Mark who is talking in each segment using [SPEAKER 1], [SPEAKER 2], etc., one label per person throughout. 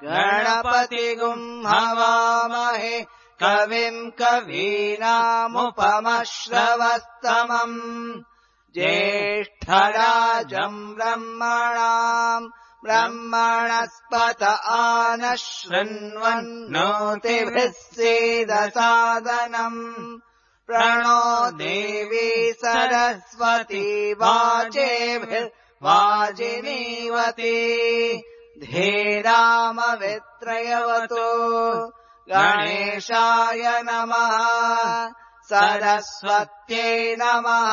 [SPEAKER 1] गणपतिगुं हवामहे कविम् कवीनामुपमश्रवस्तमम् ज्येष्ठराजम् ब्रह्मणस्पत आनः शृण्वन्नोतिभिः सीदसादनम् प्रणो देवी सरस्वती वाजेभिर्वाजिनीवती धीरामवित्रयवतु गणेशाय नमः सरस्वत्यै नमः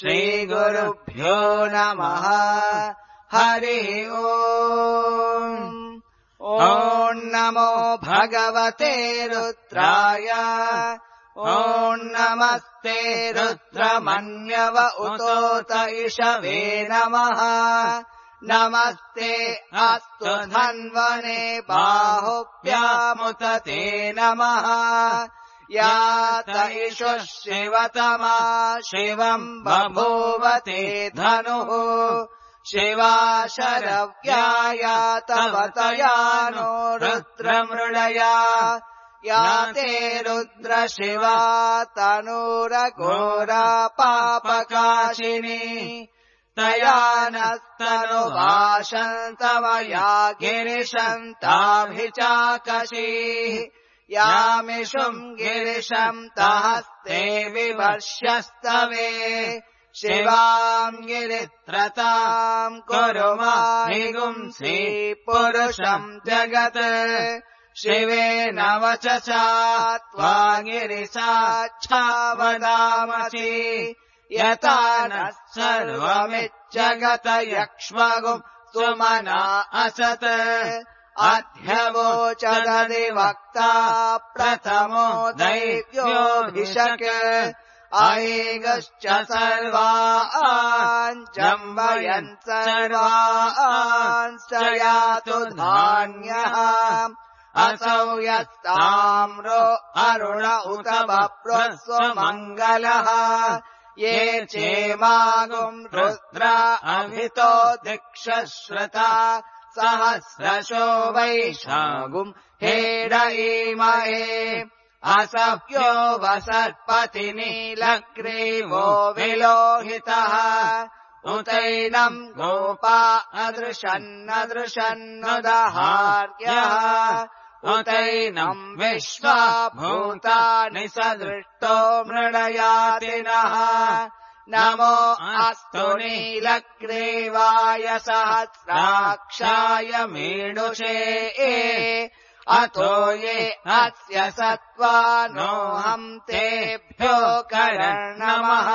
[SPEAKER 1] श्रीगुरुभ्यो नमः हरिः ओम् ॐ नमो भगवते रुद्राय ॐ नमस्ते रुद्रमन्यव उतोत इषवे नमः नमस्ते अस्तु धन्वने बाहुभ्यामुत ते नमः यात इषुः शिवतमा शिवम् बभूवते धनुः शिवा शरव्या तव तया नो रुद्रमृळया याते रुद्र शिवा तनूरघोरा पापकाशिनी तया नस्तनुवाशन्तवया गिरिशन्ताभिचाकशीः यामिषुम् गिरिशम् तहस्ते विवर्ष्यस्तवे शिवाम् गिरित्रताम् कुरु माहिगुंसि पुरुषम् जगत् शिवेन वचसा त्वा गिरिसाच्छावदामसि यथा नः सर्वमिज्जगत यक्ष्मगुम् सुमना असत् अध्यवोचदधिवक्ता प्रथमो दैव्योऽभिषक् ऐगश्च सर्वान् जम्बयन् सर्वांश्च यातु धान्यः असौ यस्ताम्रो अरुण उत बभ्रस्वमङ्गलः ये चेमागुम् रुद्र अभितो दिक्षश्रुता सहस्रशो वैशागुम् हेडयीमहे असह्यो वसर्पति नीलग्रीवो विलोहितः उतैनम् गोपा अदृशन्नदृशन्नुदहार्यः उतैनम् विश्वा भूतानि सदृष्टो मृडयातिनः नमो अस्तु नीलग्रीवाय सहस्राक्षाय मीडुषे अतो ये अस्य सत्त्वानोऽहम् तेभ्यो कर्णमः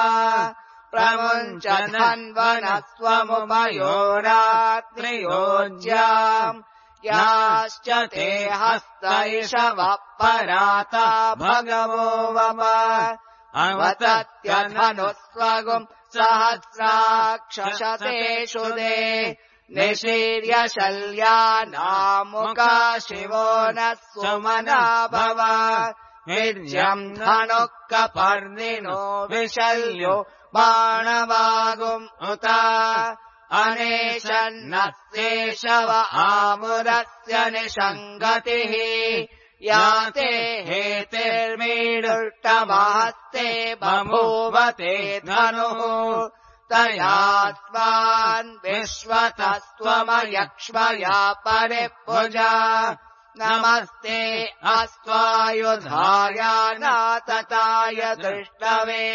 [SPEAKER 1] प्रमुञ्च धन्वनस्त्वमुभयोरात्रियोज्याम् याश्च ते हस्तैषवः पराता भगवो वम अवतत्यधनुस्वगुम् सहस्राक्षशतेषु दे निशीर्य शल्यानामुका शिवो नः सुमना भव वीर्यम् धनुः कपर्दिनो विशल्यो बाणवागुम् उत अनेशन्नस्येषव आमुरस्य निषङ्गतिः याते हेतिर्मीडुष्टमहस्ते बभूवते धनुः तया स्वान् विश्वतस्त्वमयक्ष्मया परिभुजा नमस्ते अस्त्वायुधायानातताय दृष्टवे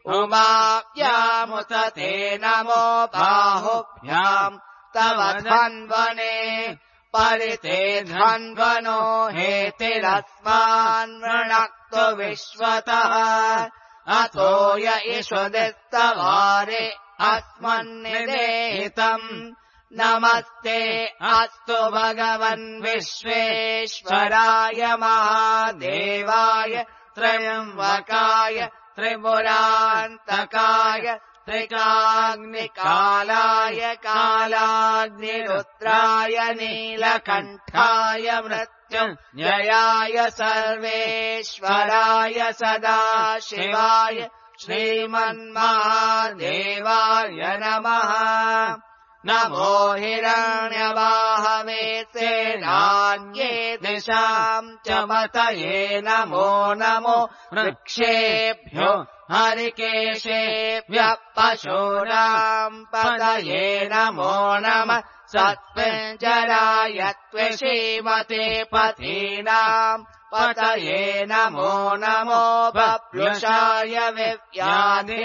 [SPEAKER 1] उमाभ्यामुत ते नमो बाहुभ्याम् तव धन्वने परिते धन्वनो हेतिरस्मान् वृणक्तु विश्वतः अतो य इषुदिस्तवारे अस्मन्निदेहितम् नमस्ते अस्तु भगवन् विश्वेश्वराय महादेवाय त्र्यम्बकाय त्रिपुरान्तकाय त्रिकाग्निकालाय कालाग्निरुद्राय नीलकण्ठाय मृत्युञ्जयाय सर्वेश्वराय सदाशिवाय श्रीमन्महादेवाय नमः नमो हिरण्यवाहवे सेनान्ये दिशाम् च मतये नमो नमो वृक्षेभ्यो हरिकेशेभ्यः पशूनाम् पतये नमो नमः सत्पञ्जराय त्वशीमते पथीनाम् पतये नमो नमो बभ्रुषाय विव्याधिनेतानाम्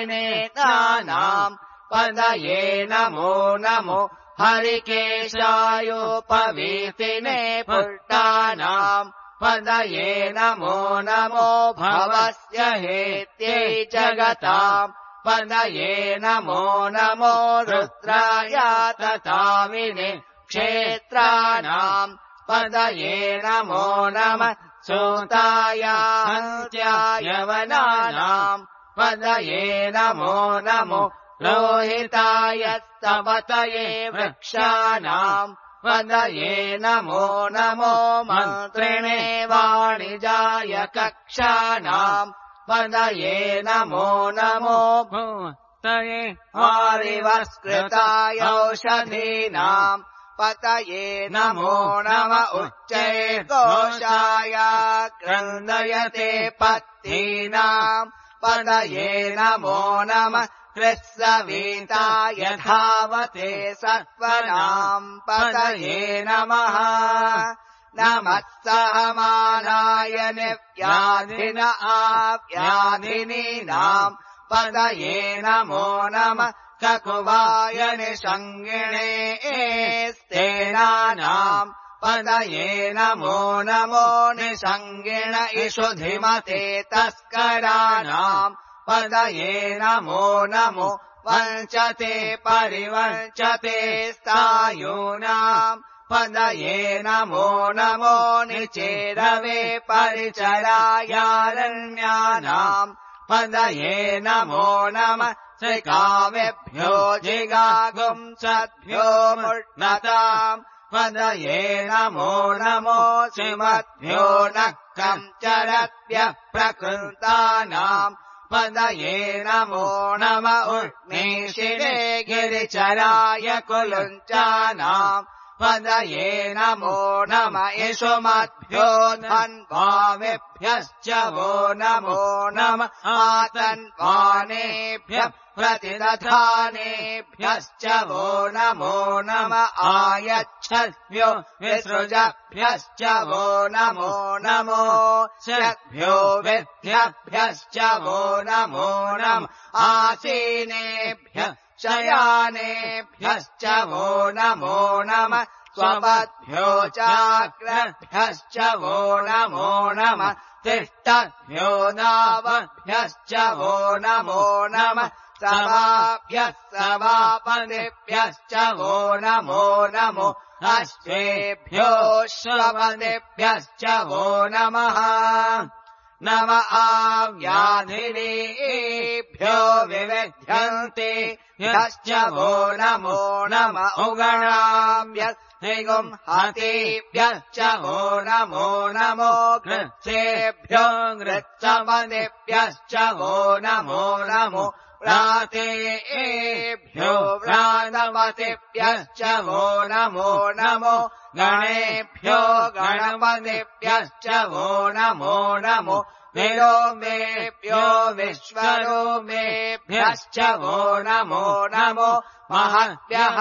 [SPEAKER 1] पतये नमो नमो हरिकेशायोपवीतिने पुष्टानाम् पतये नमो नमो भवस्य हेत्यै जगताम् पतये नमो नमो रुद्राय तथाविने क्षेत्राणाम् पतये नमो नमः सूताय हन्त्याय वनानाम् पतये नमो नमो रोहिताय स्तपतये वृक्षाणाम् पतये नमो नमो मन्त्रिणे वाणिजाय कक्षाणाम् पतये नमो नमो भूतये वारिवस्कृताय औषधीनाम् पतये नमो नम उच्चैर्घोषाय क्रन्दयते पत्नीनाम् पतये नमो नमः कृत्सविताय धावते सत्त्वनाम् पतये नमः नमः सहमानाय निव्याधिन आव्याधिनीनाम् पतये नमो नमः ककुवाय निषङ्गिणे स्तेनानाम् पतये नमो नमो निषङ्गिण इषुधिमते तस्कराणाम् पतये नमो नमो वञ्चते परिवञ्चते स्थायूनाम् पतये नमो नमो निचेरवे परिचरायारण्यानाम् पतये नमो नमः श्रीकाव्यभ्यो जिगागुंसद्भ्यो मुष्णताम् पतये नमो नमो श्रीमद्भ्यो नक्कम् चरद्भ्यः प्रकृतानाम् पतये नमो नम उर्मेशिरे गिरिचराय कुलुञ्चानाम् पतये नमो नम यशुमद्भ्यो धन्वामेभ्यश्च वो नमो नम आतन्वानेभ्यः प्रतिदधानेभ्यश्च वो नमो नम आयच्छद्भ्यो विसृजभ्यश्च वो नमो नमो शद्भ्यो विद्यभ्यश्च वो नमो नम आसीनेभ्यः शयानेभ्यश्च वो नमो नमः स्वपद्भ्यो चाग्रभ्यश्च वो नमो नमः तिष्ठद्भ्यो नावभ्यश्च वो नमो नमः सभाभ्यः सभापतिभ्यश्च वो नमो नमो अश्वेभ्यो श्वपतिभ्यश्च वो नमः नम आव्याधिनीभ्यो विविध्यन्ते यश्च वो नमो नम उगणाभ्यस्तिगुम् हतेभ्यश्च वो नमो नमो घृत्सेभ्यो घृत्सपतिभ्यश्च वो नमो नमो व्रातेभ्यो व्रातपतिभ्यश्च वो नमो नमो गणेभ्यो गणपतिभ्यश्च वो नमो नमो विलोमेभ्यो विश्वलोमेभ्यश्च वो नमो नमो महद्भ्यः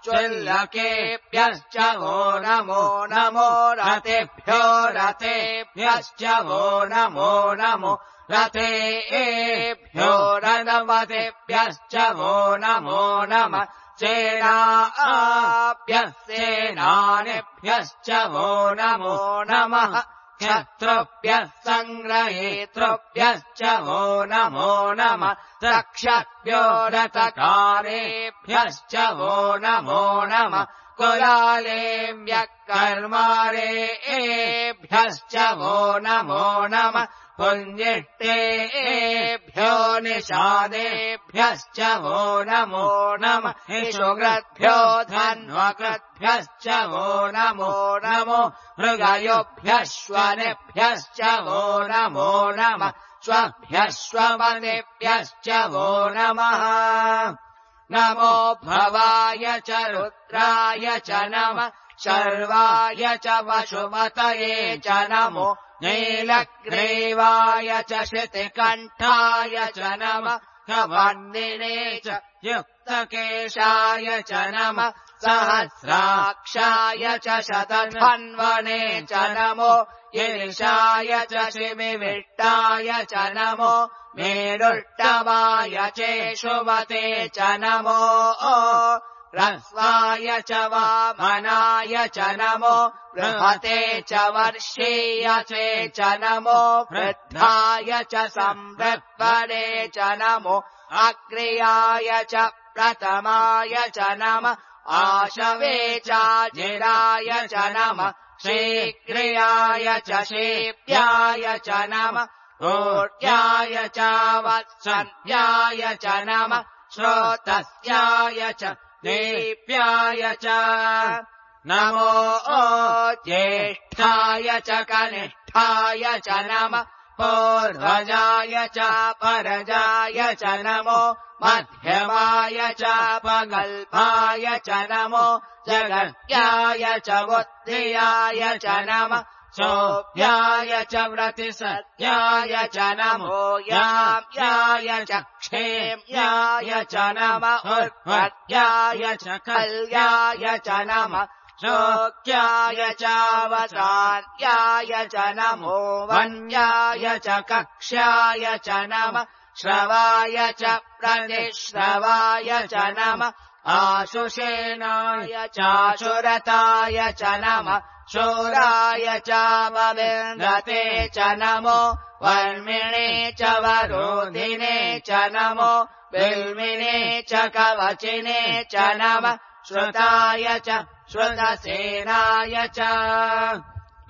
[SPEAKER 1] चुल्लकेभ्यश्च वो नमो नमो रतेभ्यो रतेभ्यश्च वो नमो नमो रतेभ्यो रथपतिभ्यश्च वो नमो नमः सेनाभ्यः सेनानिभ्यश्च वो नमो नमः क्षत्रुभ्यः सङ्ग्रहेतृभ्यश्च वो नमो नमः रक्षभ्यो रथकारेभ्यश्च वो नमो नमः कुलालेभ्यः कर्मारेभ्यश्च वो नमो नमः पुञ्जिष्टेभ्यो निषादेभ्यश्च वो नमो नमः इषुकृद्भ्यो धन्वकृद्भ्यश्च वो नमो नमो मृगयोभ्यः श्वनेभ्यश्च वो नमो नमः श्वभ्यः श्वपतिभ्यश्च वो नमः नमो भवाय च रुद्राय च नमः शर्वाय च वशुमतये च नमो नीलग्रीवाय च श्रुतिकण्ठाय च नमः वर्णिने च युक्तकेशाय च नमः सहस्राक्षाय च शतधन्वने च नमो ईशाय च शिमिविष्टाय च नमो मेरुष्टवाय चेषुमते च नमो ह्रस्वाय च वामनाय च नमो बृहते च वर्षीयसे च नमो वृद्धाय च संवृत्वने च नमो अग्र्याय च प्रथमाय च नमः आशवे चाजिराय च नमः शीघ्रियाय च शीप्याय च नमः ऊर्ध्याय च वत्सन्याय च नमः श्रोतस्याय च दीप्याय च नमो ज्येष्ठाय च कनिष्ठाय च नमः पूर्वजाय च परजाय च नमो मध्यमाय च पगल्भाय च नमो जगत्याय च बुद्धियाय च नमः सोऽप्याय च व्रतिसत्याय च नमो याम्याय च क्षेम्याय च नमः उर्वत्याय च कल्याय च नमः शोक्याय च वसान्याय च नमो वन्याय च कक्ष्याय च नमः श्रवाय च प्रतिश्रवाय च नमः आशुषेनाय चाशुरताय च नमः शूराय च वविन्दते च नमो वर्मिणे च वरोधिने च नमो बिल्मिने च कवचिने च नमः श्रुताय च श्रुतसेनाय च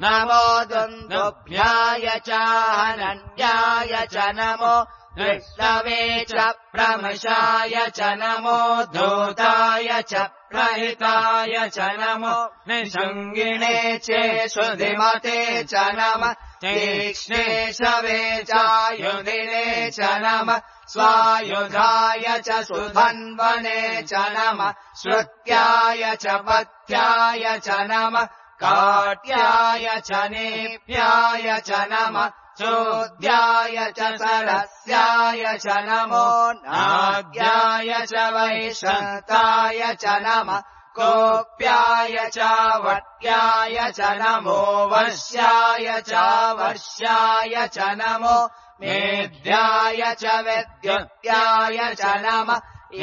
[SPEAKER 1] नमो दुन्दुभ्याय च हनन्याय च नमो विष्णवे च प्रमशाय च नमो धूताय च प्रहिताय च नमो निषङ्गिणे चेषुधिमते च नमः तीक्ष्णे शवे चायुधिने च नमः स्वायुधाय च सुधन्वने च नमः श्रुत्याय च पथ्याय च नमः काट्याय च नेप्याय च नमः चोद्याय च सरस्याय च नमो नाद्याय च वैशन्ताय च नमः कोप्याय च वट्याय च नमो वश्याय च वर्ष्याय च नमो मेद्याय च विद्युत्याय च नमः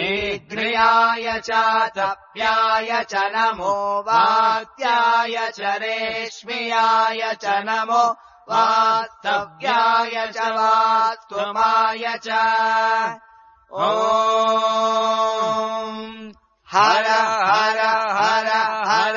[SPEAKER 1] ईग्र्याय च तप्याय च नमो वात्याय च रेश्म्याय च नमो वास्तव्याय च वास्तुमाय च ॐ हर हर हर हर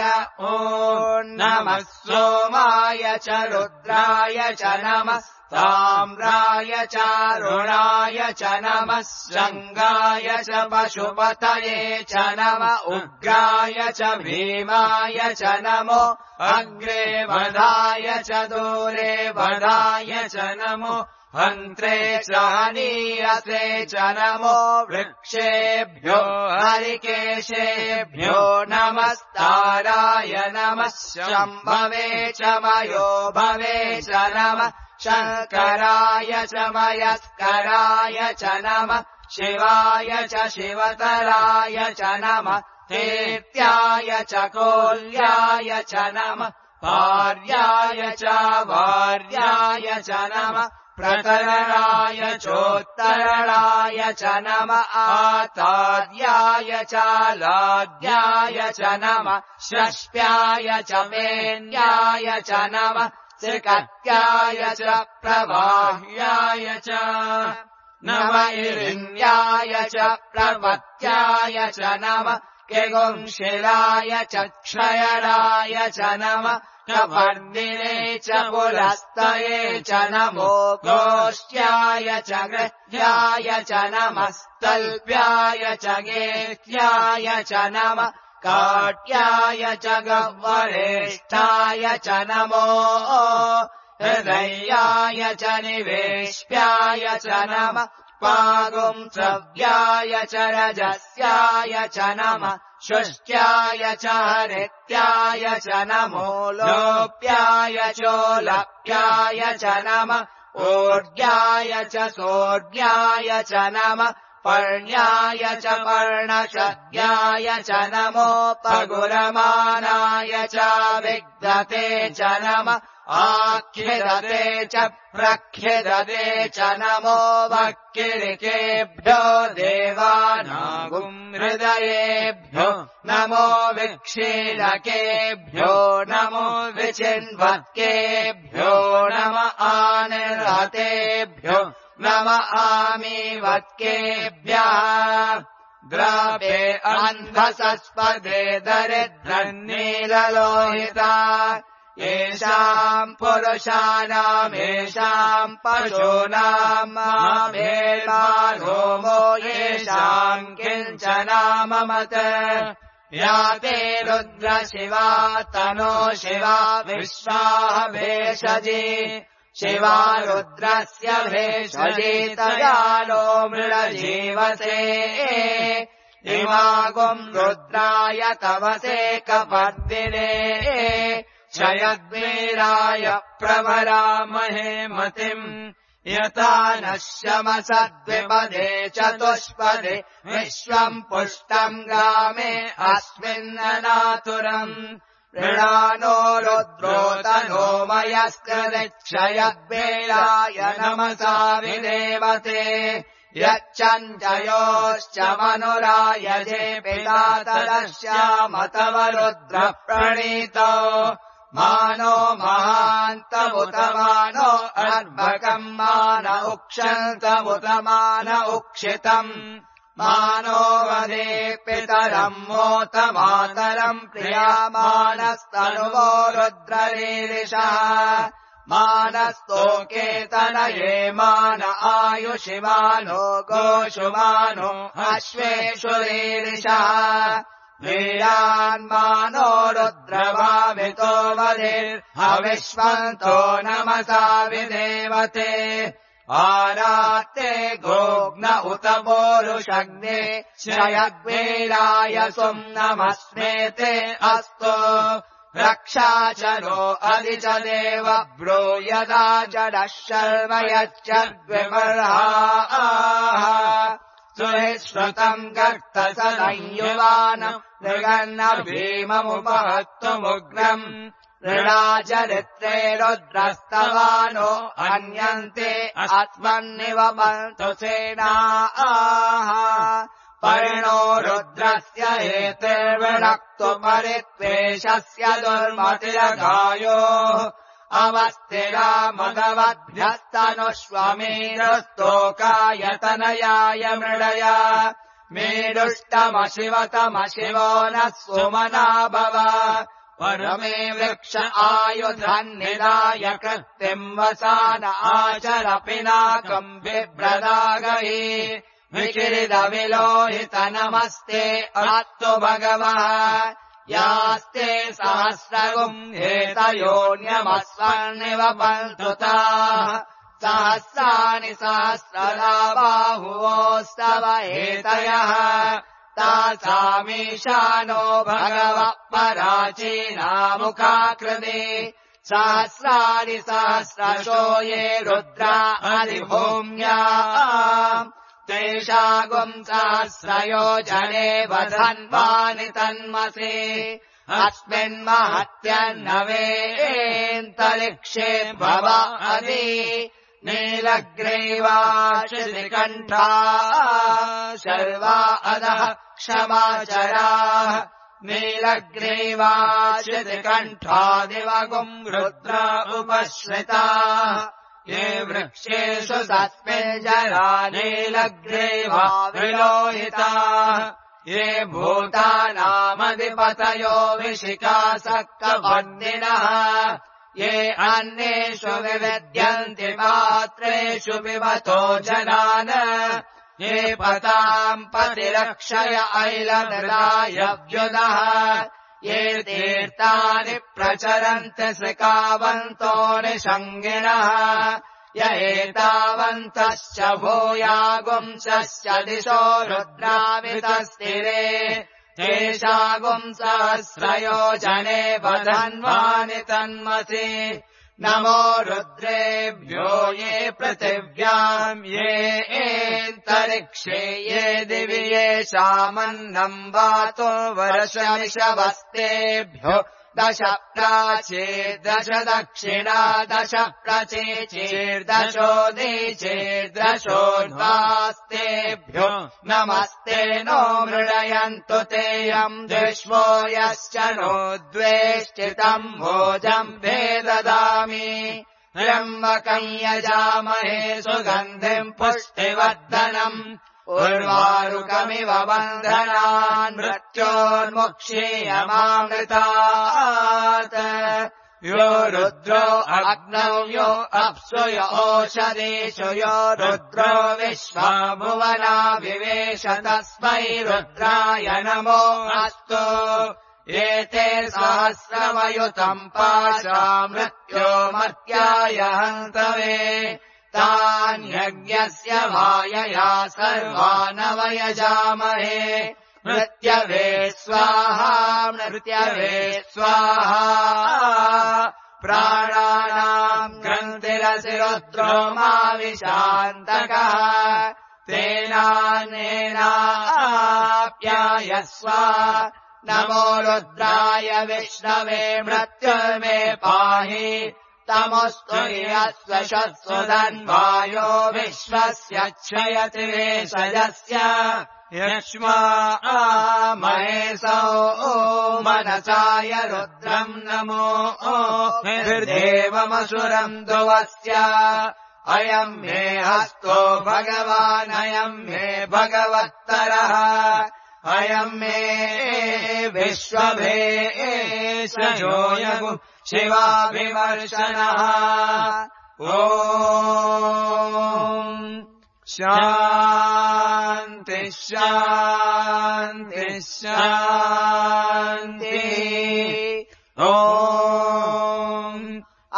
[SPEAKER 1] ॐ नमः सोमाय च रुद्राय च नमः ताम्राय चारुणाय च नमः शङ्गाय च पशुपतये च नमः उग्राय च भीमाय च नमो अग्रे वधाय च दूरे वधाय च नमो हन्त्रे च हनीयसे च नमो वृक्षेभ्यो हरिकेशेभ्यो नमस्ताराय नमः शम्भवे च मयो भवे च नमः शङ्कराय च मयस्कराय च नमः शिवाय च शिवतराय च नमः तेत्याय च कोल्याय च नमः भार्याय च भार्याय च नमः प्रतरणाय चोत्तरणाय च नमः आताद्याय च लाद्याय च नमः षष्प्याय च मेन्याय च नमः त्रिकट्याय च प्रवाह्याय च नमः इरिण्याय च प्रपत्याय च नमः किगुंशिलाय च क्षयणाय च नमः कवर्दिने च पुलस्तये च नमो गोष्ट्याय च गृह्याय च नमः स्तल्प्याय च गेह्याय च नमः काट्याय च गह्वरेष्ठाय च नमो हृदयाय च निवेश्याय च नमः पागुंसव्याय च रजस्याय च नमः शुष्ट्याय च हरित्याय च नमो लोप्याय चोलप्याय च नमः ऊर्ध्याय च सोर्ध्याय च नमः पर्ण्याय च पर्णशद्याय च नमोपगुरमानाय च विद्यते च नमः आख्यदते च प्रख्यदते च नमो वक्किलिकेभ्यो देवानागुम् हृदयेभ्यो नमो विक्षीलकेभ्यो नमो विचिन्वत्केभ्यो नम आनिर्हतेभ्यो नम आमीवत्केभ्यः द्रावे अन्धसस्पदे दरिद्रन्नीललोहिता येषाम् पुरुषाणामेषाम् पशूनाम् मामेर्मारोमो येषाम् किञ्चनाममत या ते रुद्रशिवा तनो शिवा विश्वाः भेषजी शिवा रुद्रस्य भेषजी तयालो मृळजीवसे इमागुम् रुद्राय तवसे कपर्दिने क्षयद्वीराय प्रभरामहे मतिम् यथा नः शमसद्विपदे चतुष्पदे विश्वम् पुष्टम् ग्रामे अस्मिन्ननातुरम् मृणानो रुद्रोतनो मयस्कृदिक्षयद्वीराय नमसा विदेवते यच्चञ्जयोश्च मनुरायजे पिता तदश्यामतव रुद्रः प्रणीतो मानो महान्तमुतमानो अर्भकम् मान उक्षन्तमुतमान उक्षितम् मानो वदे पितरम् मोतमातरम् प्रियामानस्तनुवो रुद्ररीरिषः मानस्तोकेतनये मान आयुषिमानो गोषुमानो अश्वेषु रीरिषः वीरान्मानो रुद्रभावितो वधिर्हविष्वन्तो नमसा विदेवते आरात्ते गोग्न उत पोरुषग्ने श्रयग्वीराय सुम् नमस्मेते अस्तु रक्षा च नो अधि च देव ब्रूयदा जडः शर्म यच्चद्विमर्हाः सुहिश्रुतम् गर्तसदयुवान मृगन्न भीममुपहत्तुमुग्रम् ऋणाचरित्रे रुद्रस्तवानो अन्यन्ते अस्मन्निव पन्तु सेनाः परिणो रुद्रस्य हेतिर्विणक्तु परित्वेषस्य दुर्मतिरगायोः अवस्थिरा मदवद्भ्यस्तनुष्वमेरुस्तोकायतनयाय मृडया मेरुष्टमशिवतमशिवो नः सुमना भव परमे वृक्ष आयुधन्निदाय कृत्तिम् वसान आचर पिनाकम् बिभ्रदागहि विकिरिदविलोहित नमस्ते अस्तु भगवः यास्ते सहस्रगुम् हेतयोन्यमस्वर्निव पन्तुताः सहस्राणि सहस्रदा बाहुवोस्तव हेतयः तासामीशानो भगवः पराचीनामुखाकृते सहस्राणि सहस्रशो ये रुद्रा अधिभूम्या तेषागुम् सहस्रयोजने वधन्वानि तन्मसे अस्मिन्महत्यन्नवेन्तरिक्षे भव अधि नीलग्रीवाशितिकण्ठा शर्वा अधः क्षमाचराः नीलग्रीवाशितिकण्ठा दिवगुम् रुद्रा उपश्रिताः ये वृक्षेषु सस्मिञ्जरा नीलग्रीवा विलोहिताः ये भूतानामधिपतयो विशिखासक्तवर्णिनः ये अन्येषु विविद्यन्ति पात्रेषु पिबतो जनान् ये पताम् पतिरक्षय ऐलमृदाय व्युदः ये तीर्थानि प्रचरन्ति सृकावन्तो निषङ्गिणः य एतावन्तश्च भूयागुंसश्च दिशो रुद्रावितस्थिरे तेषागुंसहस्रयोजने वधन्वानि तन्मसि नमो रुद्रेभ्यो ये पृथिव्याम् ये एन्तरिक्षे ये दिवि येषामन्नम् वातो वर्षमिषवस्तेभ्यो दश प्राचीर्दश दक्षिणा दश प्रचीर्दशोदीचीर्दशोर्ध्वास्तेभ्यो नमस्ते नो मृडयन्तु तेयम् विश्वो यश्च नो द्वेष्टितम् भोजम् भेददामि त्र्यम्बकम् यजामहे सुगन्धिम् पुष्टिवर्धनम् उर्वारुकमिव बन्धनान् मृत्योर्मुक्षीयमामृतात् यो रुद्रो अग्नौ यो अप्सु यो ओषधीषु यो रुद्रो विश्वा भुवना विवेश तस्मै रुद्राय नमो अस्तु एते सहस्रमयुतम् पाशा मृत्यो मर्त्याय हन्तवे तान्यज्ञस्य मायया सर्वानवयजामहे मृत्यवे स्वाहा मृत्यवे स्वाहा प्राणानाम् ग्रन्थिरसि रुद्रो माविशान्तकः तेनानेनाप्यायस्व नमो रुद्राय विष्णवे मृत्युर्मे पाहि तमस्तु यस्वशस्वदन्वायो विश्वस्य क्षयति वेशयस्य यक्ष्मा महेशो मनसाय रुद्रम् नमो निर्देवमसुरम् ध्रुवस्य अयम् मे हस्तो भगवान् अयम् मे भगवत्तरः अयम् मे विश्वभेषजो यगु शिवाभिवर्षणः ॐ शान्ति शान्ति शान्ति ॐ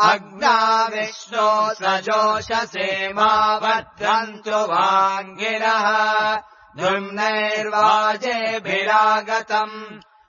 [SPEAKER 1] अग्नाविष्णो सजोषसे मा भद्रन्तु वाङ्गिरः धुम्नैर्वाजेभिरागतम्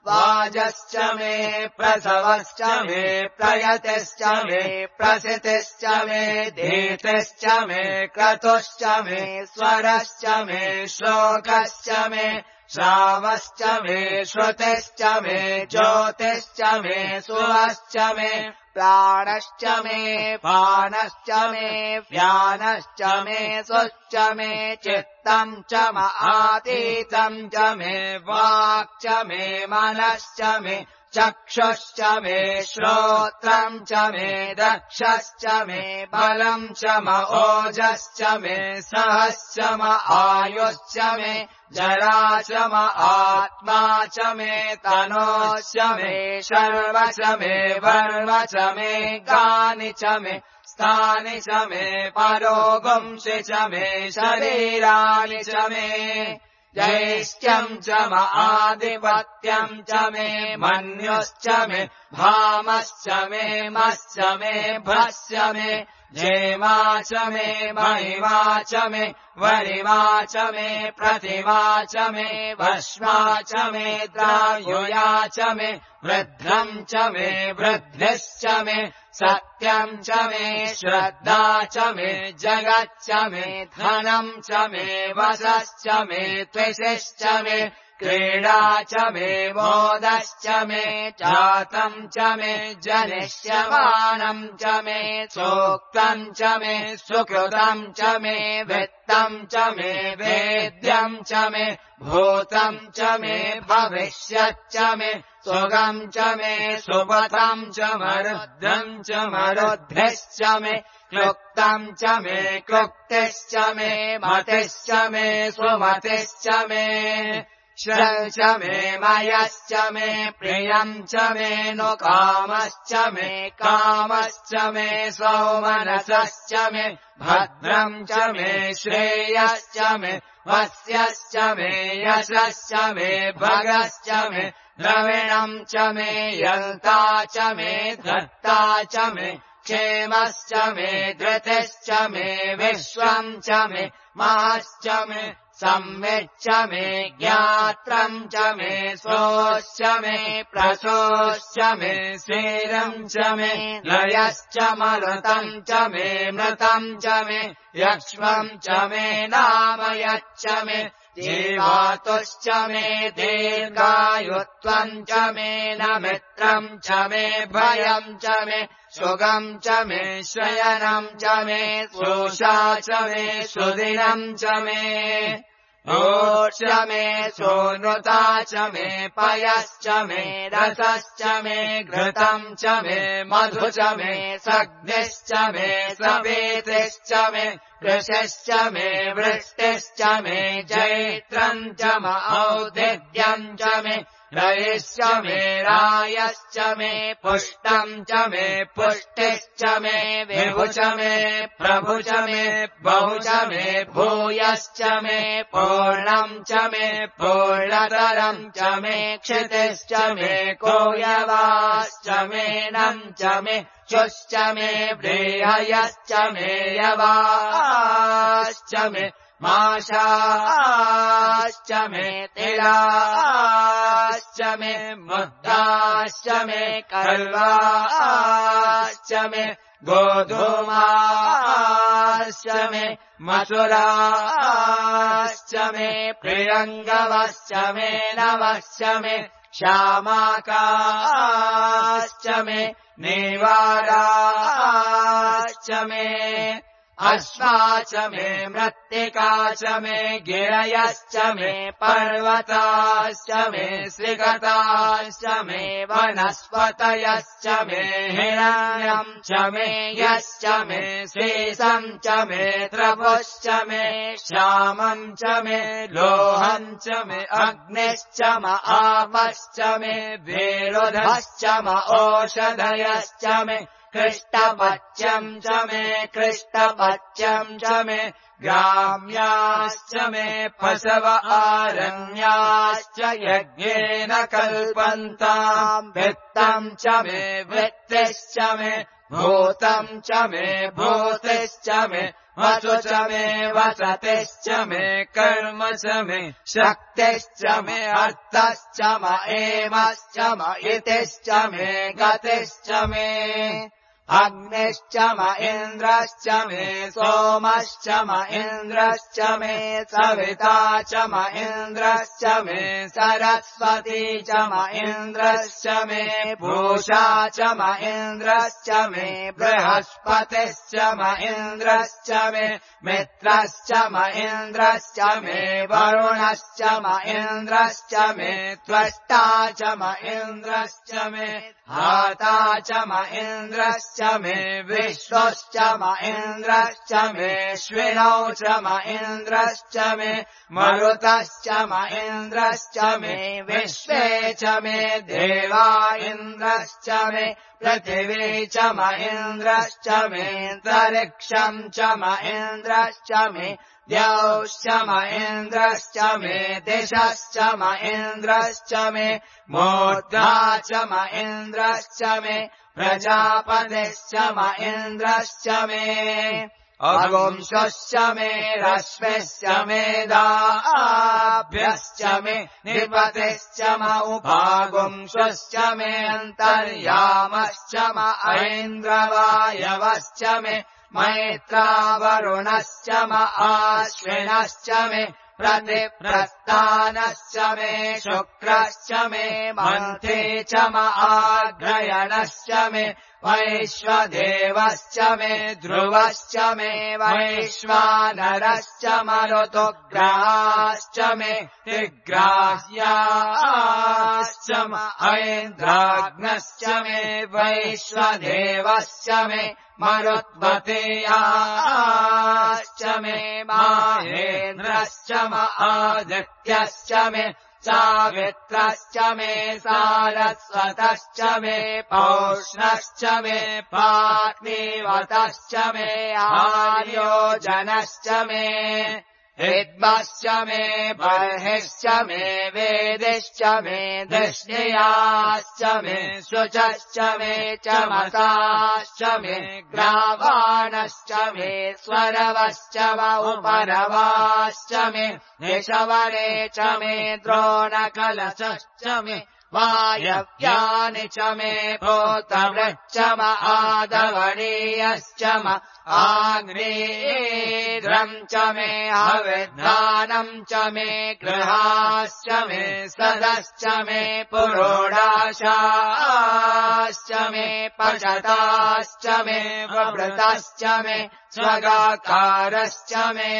[SPEAKER 1] वाजश्च मे प्रसवश्च मे प्रयतिश्च मे प्रसितिश्च मे धीतिश्च मे क्रतुश्च मे स्वरश्च मे श्लोकश्च मे श्रावश्च मे श्रुतिश्च मे ज्योतिश्च मे सुवश्च मे प्राणश्च मे पानश्च मे व्यानश्च मे सुश्च मे चित्तम् च आतीतम् च मे वाक् च मे मनश्च मे चक्षुश्च मे श्रोत्रम् च मे दक्षश्च मे बलम् च ओजश्च मे सहश्च आयुश्च मे जरा च आत्मा च मे तनोश्च मे शर्व च मे वर्व च मे गानि च मे स्थानि च मे परोगुंसि च मे शरीराणि च मे जैष्ठ्यम् च आधिपत्यम् च मे मन्युश्च मे भामश्च मे मश्च मे भ्रश्च मे जेमा च मे महिमा च मे वरिमा च मे प्रतिमा च मे भस्मा च मे द्रायुया च मे वृद्धम् च मे वृद्धिश्च मे सत्यम् च मे श्रद्धा च मे जगच्च मे धनम् च मे वशश्च मे त्विषिश्च मे क्रीडा च मे मोदश्च मे जातम् च मे जनिष्यमानम् च मे सूक्तम् च मे सुकृतम् च मे वित्तम् च मे वेद्यम् च मे भूतम् च मे भविष्यच्च मे सुगम् च मे सुपथम् च मरुद्धम् च मरुद्धिश्च मे क्लुप्तम् च मे क्लुप्तिश्च मे मतिश्च मे सुमतिश्च मे श्रम् च मे मयश्च मे प्रियम् च मे नु कामश्च मे सौमनसश्च मे भद्रम् च मे श्रेयश्च मे वस्यश्च मे यशश्च मे भगश्च मे द्रविणम् च मे यन्ता च मे धर्ता च मे क्षेमश्च मे धृतिश्च मे विश्वम् च मे महश्च मे संविच्च मे ज्ञात्रम् च मे सोश्च मे प्रसोश्च मे स्थिरम् च मे लयश्च मरुतम् च मे मृतम् च मे यक्ष्मम् च मे नामयच्च मे जीवातुश्च मे दीर्घायुत्वम् च मे न मित्रम् च मे भयम् च मे सुगम् च मे शयनम् च मे सोषा च मे सुदिनम् च मे च मे सोनृता च मे पयश्च मे रसश्च मे घृतम् च मे मधु च मे सग्निश्च मे सवेतिश्च मे कृशिश्च मे वृष्टिश्च मे जैत्रम् च म औदिद्यम् च मे रयिश्च मे रायश्च मे पुष्टम् च मे पुष्टिश्च मे विभु च मे प्रभु च मे बहु च मे भूयश्च मे पूर्णम् च मे पूर्णतरम् च मे क्षितिश्च मे कोयवाश्च मे नम् च मे शुश्च मे बृहयश्च मे यवाश्च मे माशाश्च मे तिलाश्च मे मुद्दाश्च मे कल्वाश्च मे गोधूमाश्च मे मसुराश्च मे प्रियङ्गवश्च मे नवश्च मे श्यामाकाश्च मे नीवाराश्च मे अश्वा च मे मृत्तिका च मे गिरयश्च मे पर्वताश्च मे श्रीगताश्च मे वनस्पतयश्च मे हिरण्यम् च मे यश्च मे शेषम् च मे त्रपुश्च मे श्यामम् च मे लोहम् च मे अग्निश्च म आपश्च मे विरुधश्च म ओषधयश्च मे कृष्टपच्यम् च मे कृष्टपच्यम् च मे ग्राम्याश्च मे पशव आरण्याश्च यज्ञेन कल्पन्ताम् वित्तम् च मे वित्तिश्च मे भूतम् च मे भूतिश्च मे वसु च मे वसतिश्च मे कर्म च मे शक्तिश्च मे अर्थश्च म एमश्च म इतिश्च मे गतिश्च मे अग्निश्च म इन्द्रश्च मे सोमश्च म इन्द्रश्च मे सविता च म इन्द्रश्च मे सरस्वती च म इन्द्रश्च मे पूषा च म इन्द्रश्च मे बृहस्पतिश्च म इन्द्रश्च मे मित्रश्च म इन्द्रश्च मे वरुणश्च म इन्द्रश्च मे त्वष्टा च म इन्द्रश्च मे हाता च म इन्द्रश्च मे विश्वश्च म इन्द्रश्च मे श्विनौ च म इन्द्रश्च मे मरुतश्च म इन्द्रश्च मे विश्वे च मे देवा इन्द्रश्च मे पृथिवी च म इन्द्रश्च मे तरिक्षम् च म इन्द्रश्च मे द्यौश्च म इन्द्रश्च मे दिशश्च म इन्द्रश्च मे मूर्धा च म इन्द्रश्च मे प्रजापतिश्च म इन्द्रश्च मे अगुंशश्च मे रश्मिश्च मे दाभ्यश्च मे निपतिश्च म उपागुंशश्च मे अन्तर्यामश्च म ऐन्द्रवायवश्च मे मैत्रावरुणश्च म आश्विनश्च मे प्रतिप्रस्थानश्च मे शुक्रश्च मे मन्थे च म आग्रयणश्च मे वैश्वदेवश्च मे ध्रुवश्च मे वैश्वानरश्च मरुतुग्राश्च मे तिग्राह्याश्च म ऐन्द्राग्नश्च मे वैश्वदेवश्च मे मरुत्वतेयाश्च मे माहेन्द्रश्च म आदित्यश्च मे सावित्रश्च मे सारस्वतश्च मे पौष्णश्च मे पाग्निवतश्च मे आर्योजनश्च मे हिद्मश्च मे बर्हिश्च मे वेदिश्च मे दृष्णियाश्च मे शुचश्च मे चमसाश्च मे ग्रावाणश्च मे स्वरवश्च उपरवाश्च मे निशवरे च मे द्रोणकलशश्च मे वायव्यानि च मे भूतवृश्च म आदवणीयश्च म आग्नेयेन्द्रम् च मे हविर्दानम् च मे गृहाश्च मे सदश्च मे पुरोडाशाश्च मे पशताश्च मे ववृतश्च मे स्वगाकारश्च मे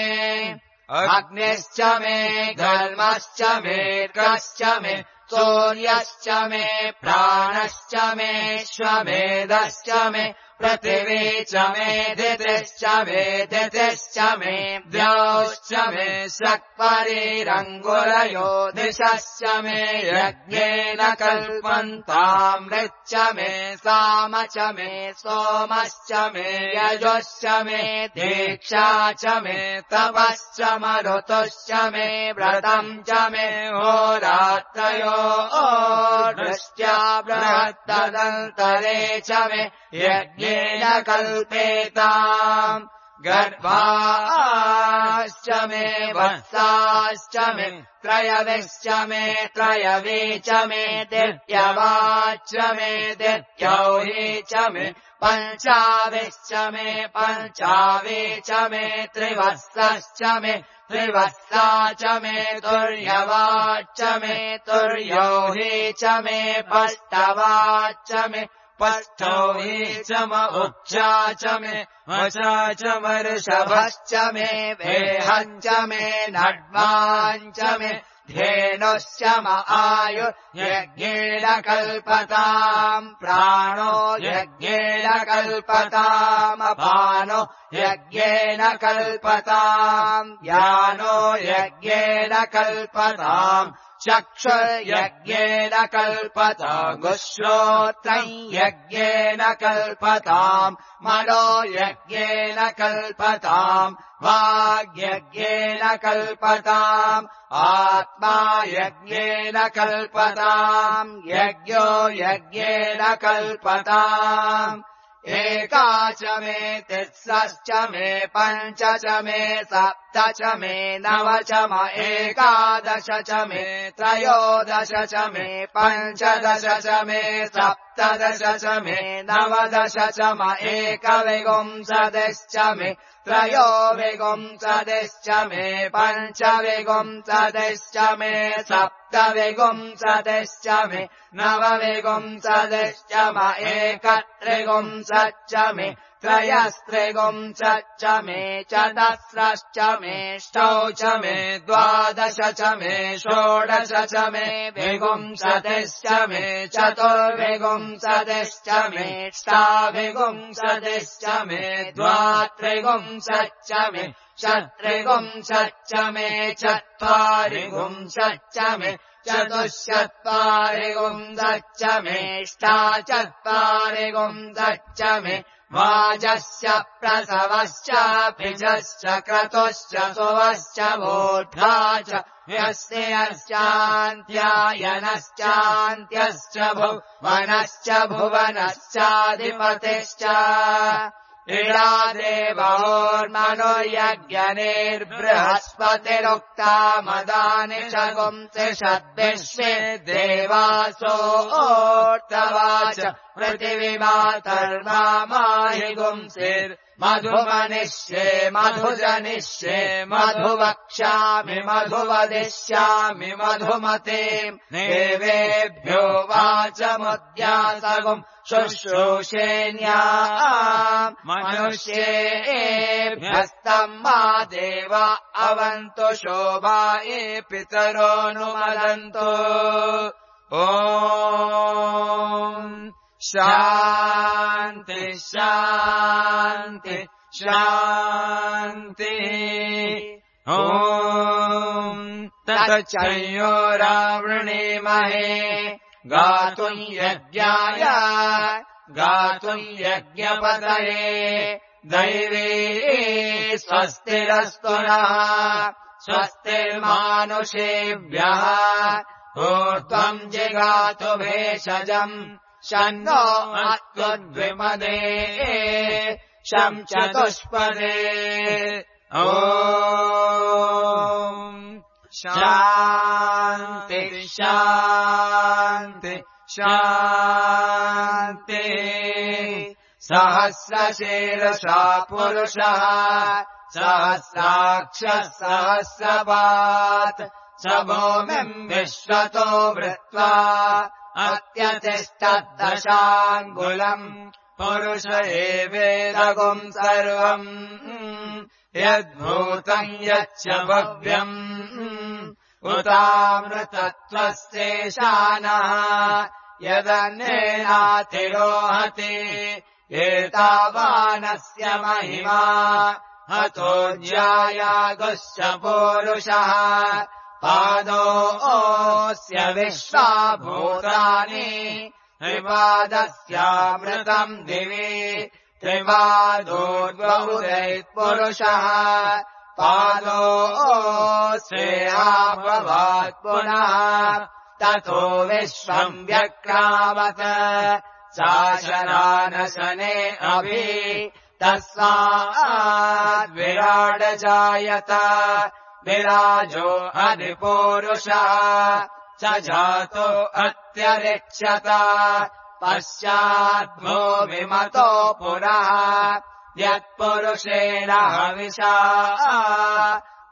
[SPEAKER 1] अग्निश्च मे घर्मश्च मे कर्कश्च मे सूर्यश्च मे प्राणश्च मे श्वमेधश्च मे पृथिवी च मे दितिश्च मे दितिश्च मे द्यौश्च मे शक्परिरङ्गुरयो दिशश्च मे यज्ञेन कल्पन्तामृच्च मे साम च मे सोमश्च मे यजुश्च मे दीक्षा च मे तपश्च मरुतुश्च मे व्रतम् च मे होरात्रयो दृष्ट्या बृहत्तदन्तरे च मे यज्ञेन कल्पेताम् गर्भाश्च मे वत्साश्च मे त्रयविश्च मे त्रयवी च मे दित्यवाच्च मे दित्यौही च मे पञ्चाविश्च मे पञ्चावी च मे त्रिवत्सश्च मे त्रिवत्सा च मे तुर्यवाच्च मे तुर्यौही च मे पष्टवाच्च मे पष्टौही च म उच्चा च मे वचा च वर्षभश्च मे वेहञ्च मे नड्माञ्च मे धेनुश्च म आयु यज्ञेन कल्पताम् प्राणो यज्ञेन कल्पताम् अपानो यज्ञेन कल्पताम् यानो यज्ञेन कल्पताम् चक्षुर्यज्ञेन कल्पताम् श्रोत्रम् यज्ञेन कल्पताम् मनो यज्ञेन कल्पताम् वाग्यज्ञेन कल्पताम् आत्मा यज्ञेन कल्पताम् यज्ञो यज्ञेन कल्पताम् एका च मे तिस्रश्च मे पञ्च च मे सप्त च मे नव च म एकादश च मे त्रयोदश च मे पञ्चदश च मे सप्तदश च मे नवदश च म एकविंशतिश्च मे त्रयोविंशतिश्च मे पञ्चविंशतिश्च मे सप्तविंशतिश्च मे नवविंशतिश्च म एकत्रिंशच्च मे त्रयस्त्रिंशच्च मे चतस्रश्च मे ष्टौ च मे द्वादश च मे षोडश च मे विंशतिश्च मे चतुर्विंशतिश्च मे ष्टाविंशतिश्च मे द्वात्रिंशच्च मे चत्रिंशच्च मे चत्वारिंशच्च मे चतुश्चत्वारिंशच्च मे ष्टाचत्वारिंशच्च मे वाजस्य प्रसवश्च भिजश्च क्रतुश्च सुवश्च वोढ्धा च यस्यान्त्यायनश्चान्त्यश्च भुवनश्च भुवनश्चाधिपतिश्च इडा देवोर्मनुर्यज्ञनिर्बृहस्पतिरुक्ता मदानि च गुंसिषद्विश्वे देवासो ओर्तवाच पृथिवीमातर्माहि गुंसिर्मधुमनिष्ये मधुजनिष्ये मधुवक्ष्यामि मधुवदिष्यामि मधुमतीम् देवेभ्यो वाचमुद्यासगुम् शुश्रूषेण्याम् मनुष्येभ्यस्तम् मा देवा अवन्तु शोभाये पितरोऽनुमदन्तु ॐ शान्ति शान्ति शान्ति ॐ तत् संयोरावृणीमहे गातुम् यज्ञाय गातुम् यज्ञपतये दैवी स्वस्तिरस्तु नः स्वस्तिर्मानुषेभ्यः ऊर्ध्वम् जिगातु भेषजम् शन्नो अत्वद्विपदे शं चतुष्पदे ॐ शान्ति शान्ति शान्ति सहस्रशीर्षा पुरुषः सहस्राक्षः सहस्रपात् स भूमिम् विश्वतो वृत्वा अत्यतिष्ठद्दशाङ्गुलम् पुरुष एवेदगुम् सर्वम् यद्भूतम् यच्च भव्यम् उतामृतत्वस्येशानः यदन्येनातिरोहति एतावानस्य महिमा हतो ज्यायागुश्च पूरुषः पादोऽस्य विश्वाभूतानि त्रिपादस्यामृतम् दिवि त्रिपादोर्द्वहुरैत्पुरुषः पादोऽस्येहाभवात् पुनः ततो विश्वम् व्यक्रामत शासनानशने अभि तस्माद्विराड जायत विराजो अधिपूरुषः स जातो अत्यरिच्यत पश्चाद्भो विमतो पुरः यत्पुरुषेण हविषा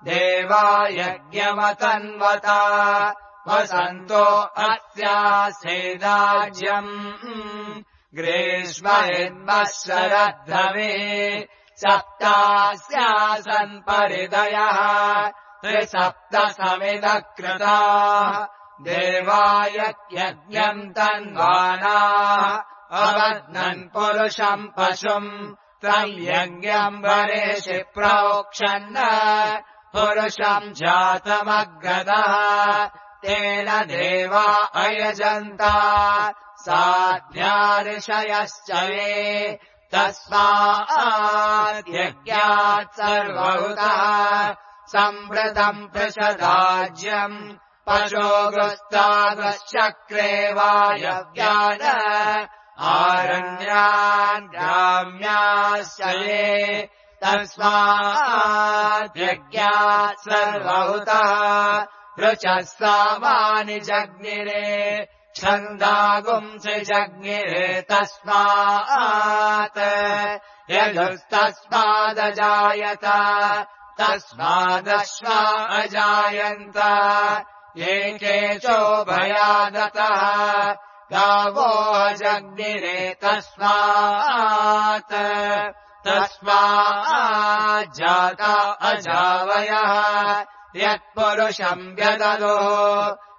[SPEAKER 1] देवा यज्ञमतन्वत वसन्तो अस्यासेदाज्यम् ग्रीष्महिन्वत्सरद्धवे सप्तास्यासन् परिदयः त्रिसप्तसमिदकृताः देवाय यज्ञम् तन्वानाः अवध्नन् पुरुषम् पशुम् तम् यज्ञम् वरेषि प्रोक्षन् पुरुषम् जातमग्रदः तेन देवा अयजन्त साध्या ऋषयश्च ये तस्माद्यज्ञात् सर्वभूतः सम्वृतम् पृषदाज्यम् पशोगुस्तागश्चक्रे वायव्यान् आरण्यान् ग्राम्याश्च ये तस्माद्यज्ञात् सर्वभूतः ऋचः सामानि जज्ञिरे छन्दागुंसि जज्ञिरे तस्मात् यजुस्तस्मादजायत तस्मादश्वा अजायन्त एकेचोभयादतः गावो अजज्ञिरे तस्मात् तस्माज्जाता अजावयः यत्पुरुषम् व्यददो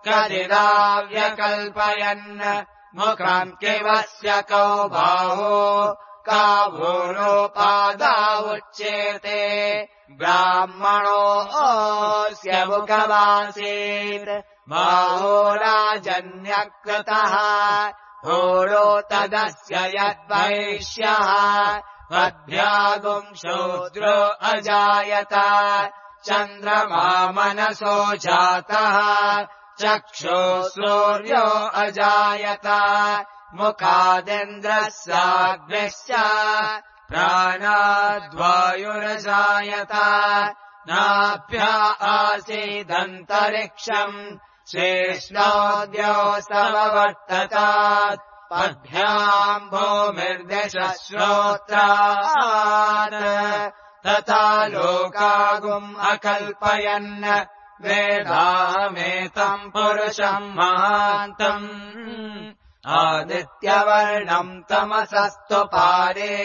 [SPEAKER 1] कदिदाव्यकल्पयन् मुखम् किवस्य कौ बाहो कावोरोपादा उच्येते ब्राह्मणोऽस्य मुखमासीत् बाहो राजन्यकृतः होरो तदस्य यद्वैश्यः पद्भ्यागुम् शूद्रो अजायत चन्द्रमा मनसो जातः चक्षो सूर्यो अजायत मुखादिन्द्रः साग्निश्च प्राणाद्वायुरजायत नाभ्या आसीदन्तरिक्षम् शेष्णोऽद्यो समवर्ततात् पद्भ्याम् भूमिर्दशः श्रोत्रात् तथा लोकागुम् अकल्पयन् वेदामेतम् पुरुषम् महान्तम् आदित्यवर्णम् तमसस्तु पारे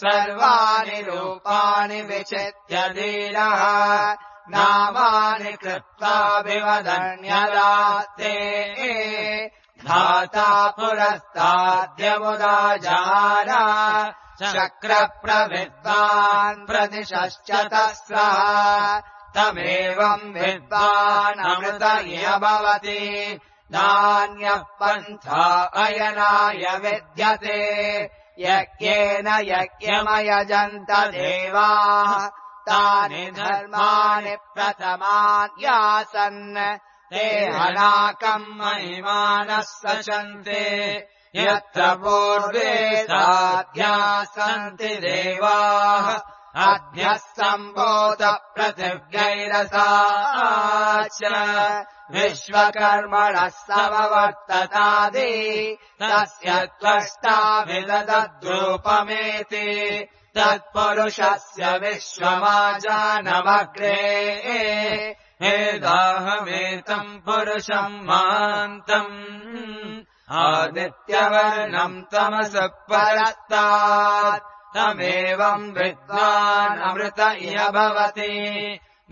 [SPEAKER 1] सर्वाणि रूपाणि विचित्य धीरः नामानि कृत्वा विवदन्यदास्ते धाता पुरस्ताद्यमुदाजार शक्रप्रविद्वान् प्रदिशश्चतस्रः तमेवम् विद्वानमृत इह भवति नान्यः पन्था अयनाय विद्यते यज्ञेन यज्ञमयजन्त देवाः तानि धर्माणि प्रथमान्यासन् ते अनाकम् महिमानः सचन्ते यत्र पूर्वे साध्यासन्ति देवाः अद्यः सम्भूत पृथिव्यैरसाच विश्वकर्मणः समवर्ततादि तस्य त्वष्टा विदधद्रूपमेति तत्पुरुषस्य विश्वमाजानमग्रे वेदाहमेतम् पुरुषम् महान्तम् आदित्यवर्णम् तमसः परस्तात् तमेवम् विद्वानमृत इह भवति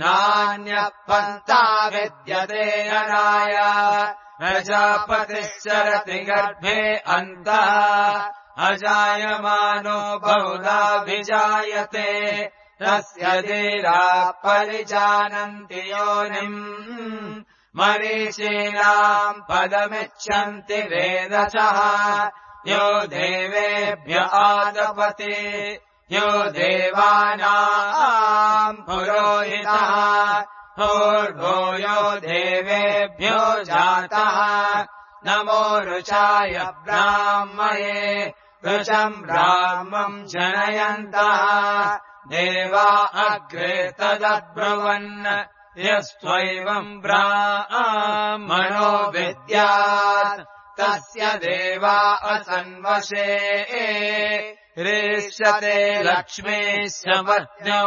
[SPEAKER 1] नान्यः पन्था विद्यते अनाय प्रजापतिश्चरति गर्भे अन्तः अजायमानो बहुधा विजायते तस्य धीराः परिजानन्ति योनिम् मरीचीनाम् पदमिच्छन्ति वेदसः यो देवेभ्य आदपते यो देवानाम् पुरोहितः पूर्वो यो देवेभ्यो जातः नमो रुचाय ब्राह्मये रुचम् ब्राह्मम् जनयन्तः देवा अग्रे तदब्रुवन् यस्त्वैवम् ब्राह्मणो विद्यात् तस्य देवा असन्वशे रेष्यते लक्ष्मीश्च पत्न्यो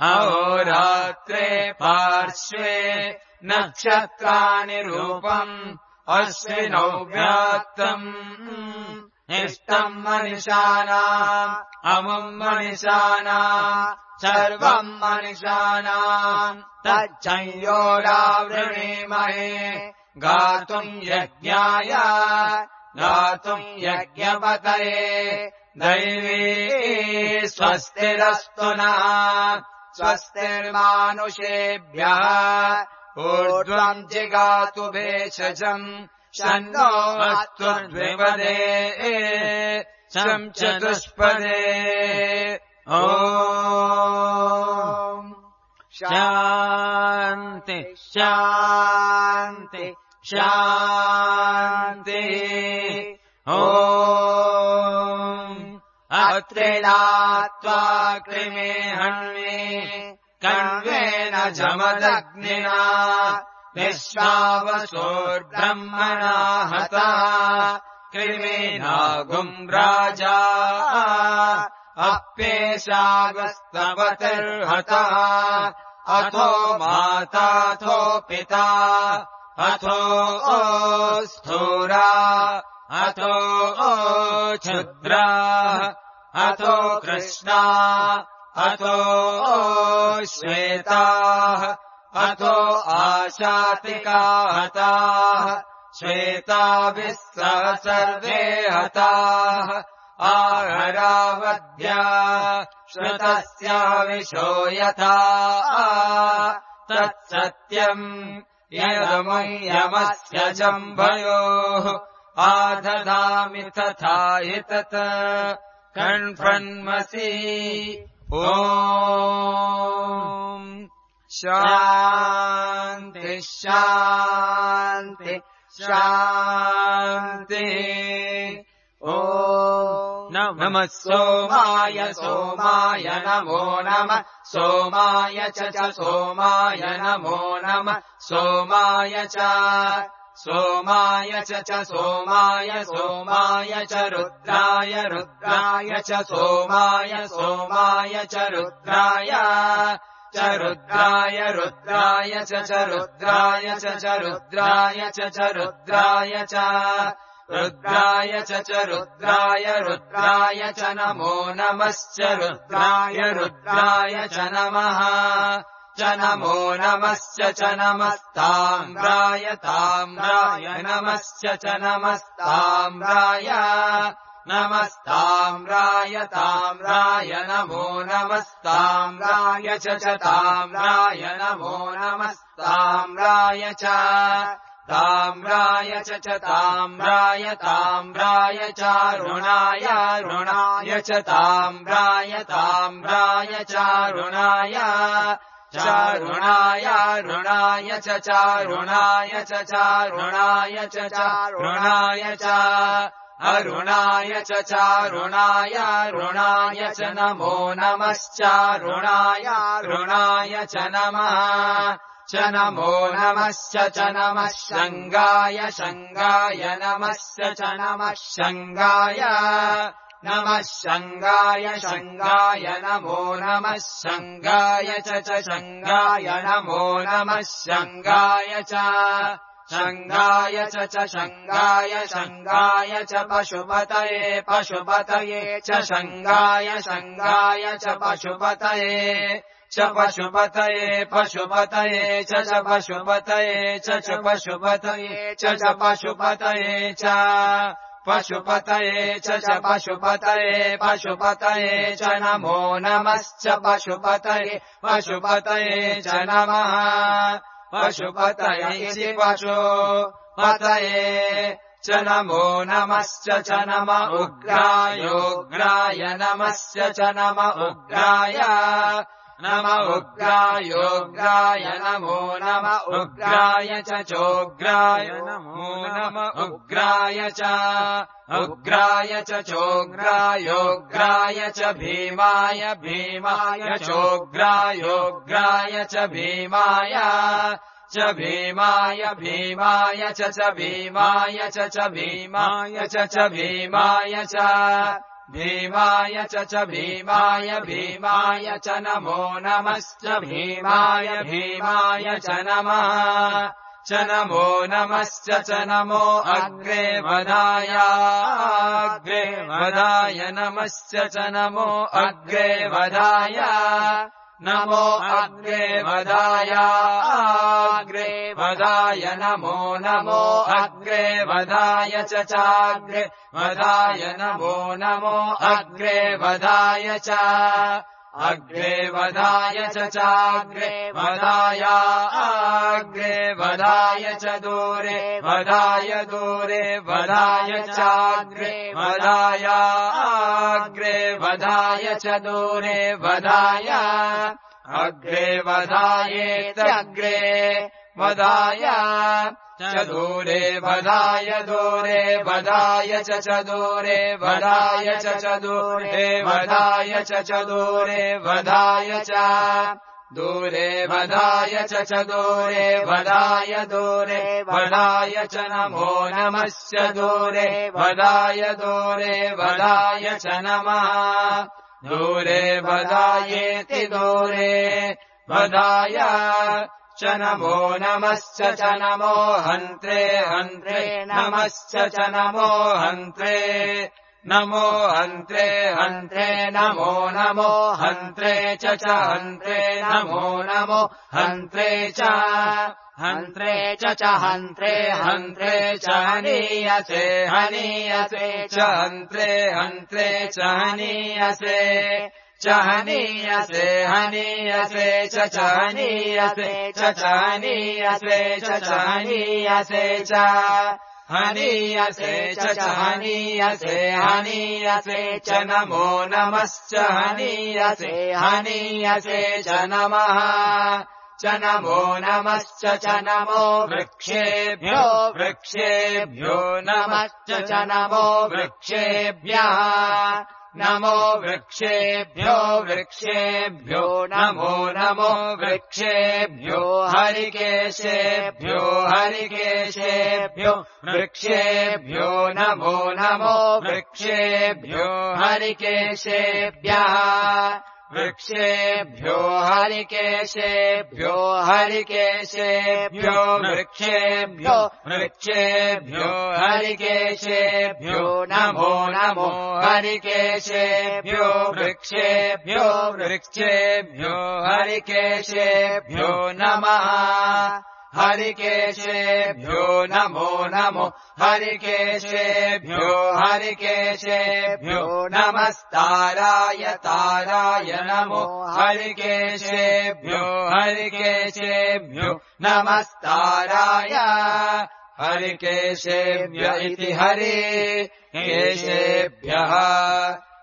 [SPEAKER 1] अहोरात्रे पार्श्वे नक्षत्राणि रूपम् अश्विनौ व्यात्तम् इष्टम् मनिषाणाम् अमुम् मनिषाणाम् सर्वम् मनिषाणाम् तच्चयोरावृणीमहे गातुम् यज्ञाय गातुम् यज्ञपतये दैवी स्वस्तिरस्तु नः स्वस्तिर्मानुषेभ्यः ऊर्ध्वम् जिगातु भेषजम् शन्नो त्वद्विपदे शम् चतुष्पदे ॐ शान्ति शान्ति शान्ति ॐ अत्रिणात्वा कृमे हन्वे कण्वेन जमदग्निना विश्वावसोर्ब्रह्मणा हता कृमेनागुम् राजा अप्येषागस्तवतिर्हतः अथो माताथो पिता अथो स्थूरा अथो क्षुद्रा अथो कृष्णा अथो श्वेताः अथो आशातिका हताः श्वेताभिः सह सर्वे हताः आहरावद्या श्रुतस्याविशो यथा तत्सत्यम् यदमुह्यमस्य जम्भयोः आदधामि तथा हि तत् कण्फन्मसि ॐ शान्ति शान्ति शान्ति ॐ नमः सोमाय सोमाय नमो नमः सोमाय च सोमाय नमो नमः सोमाय च सोमाय च सोमाय सोमाय च रुद्राय रुद्राय च सोमाय सोमाय च रुद्राय रुद्राय रुद्राय च रुद्राय च रुद्राय च रुद्राय च रुद्राय च रुद्राय रुद्राय च नमो नमश्च रुद्राय रुद्राय च नमः च नमो नमश्च च नमस्ताम्राय ताम्राय नमश्च च नमस्ताम्राय नमस्ताम्राय ताम्राय नमो नमस्ताम्राय च ताम्राय नमो नमस्ताम्राय च ताम्राय च ताम्राय ताम्राय चारुणाय ऋणाय च ताम्राय ताम्राय चारुणाय चारुणाय ऋणाय च चारुणाय च चारुणाय च चारुणाय च अरुणाय च चारुणाय ऋणाय च नमो नमश्चारुणाय ऋणाय च नमः च नमो नमश्च च नमः शङ्गाय शङ्गाय नमश्च च नमः शङ्गाय नमः शङ्गाय शङ्गाय नमो नमः शङ्गाय च शङ्गाय नमो नमः शङ्गाय च शङ्गाय च शङ्गाय शङ्गाय च पशुपतये पशुपतये च शङ्गाय शङ्गाय च पशुपतये च पशुपतये पशुपतये च पशुपतये च पशुपतये च पशुपतये च पशुपतये च पशुपतये पशुपतये च नमो नमश्च पशुपतये पशुपतये च नमः पशुपतये पशुपतये च नमो नमश्च च नम उग्रायोग्राय नमश्च च नम उग्राय नम उग्रायोग्राय नमो नम उग्राय च चोग्राय नमो नम उग्राय च उग्राय च चोग्रायोग्राय च भीमाय भीमाय चोग्रायोग्राय च भीमाय च भीमाय भीमाय च भीमाय च भीमाय च भीमाय च भीमाय च भीमाय भीमाय च नमो नमश्च भीमाय भीमाय च नमः च नमो नमश्च च नमो अग्रे वदाय अग्रे वदाय नमश्च च नमो अग्रे वदाय नमो अग्रे वदाय अग्रे वदाय नमो नमो अग्रे वदाय च चाग्रे वदाय नमो नमो अग्रे वदाय च अग्रे वदाय च चाग्रे वदाय अग्रे वदाय च दूरे वदाय दूरे वदाय चाग्रे वदाय अग्रे वदाय च दूरे वदाय अग्रे वदायेत्यग्रे वदाय च दूरे वदाय दूरे वदाय च दूरे वदाय च दूरे वदाय च दूरे वदाय च दूरे वदाय च दूरे वदाय दूरे वदाय च नमो नमश्च दूरे वदाय च नमः दूरे वदायेति दूरे वदाय च नमो नमश्च च नमो हन्त्रे हन्त्रे नमश्च च नमो हन्त्रे नमो हन्त्रे हन्त्रे नमो नमो हन्त्रे च हन्त्रे नमो नमो हन्त्रे च हन्त्रे च हन्त्रे हन्त्रे च हनीयसे हनीयसे च हन्त्रे हन्त्रे च हनीयसे च हनीयसे हनीयसे च हनीयसे च हनीयसे च हनीयसे च हनीयसे च हनीयसे हनीयसे च नमो नमश्च हनीयसे हनीयसे च नमः च नमो नमश्च च नमो वृक्षेभ्यो वृक्षेभ्यो नमश्च च नमो वृक्षेभ्यः नमो वृक्षेभ्यो वृक्षेभ्यो नमो नमो वृक्षेभ्यो हरिकेशेभ्यो हरिकेशेभ्यो वृक्षेभ्यो नमो नमो वृक्षेभ्यो हरिकेशेभ्यः वृक्षेभ्यो हरिकेशेभ्यो हरिकेशेभ्यो वृक्षेभ्यो वृक्षेभ्यो हरिकेशेभ्यो नमो नमो हरिकेशेभ्यो वृक्षेभ्यो वृक्षेभ्यो हरिकेशेभ्यो नमः हरिकेशेभ्यो नमो नमो हरिकेशेभ्यो नमस्ताराय ताराय नमो हरिकेशेभ्यो नमस्ताराय हरिकेशेभ्य इति हरिकेशेभ्यः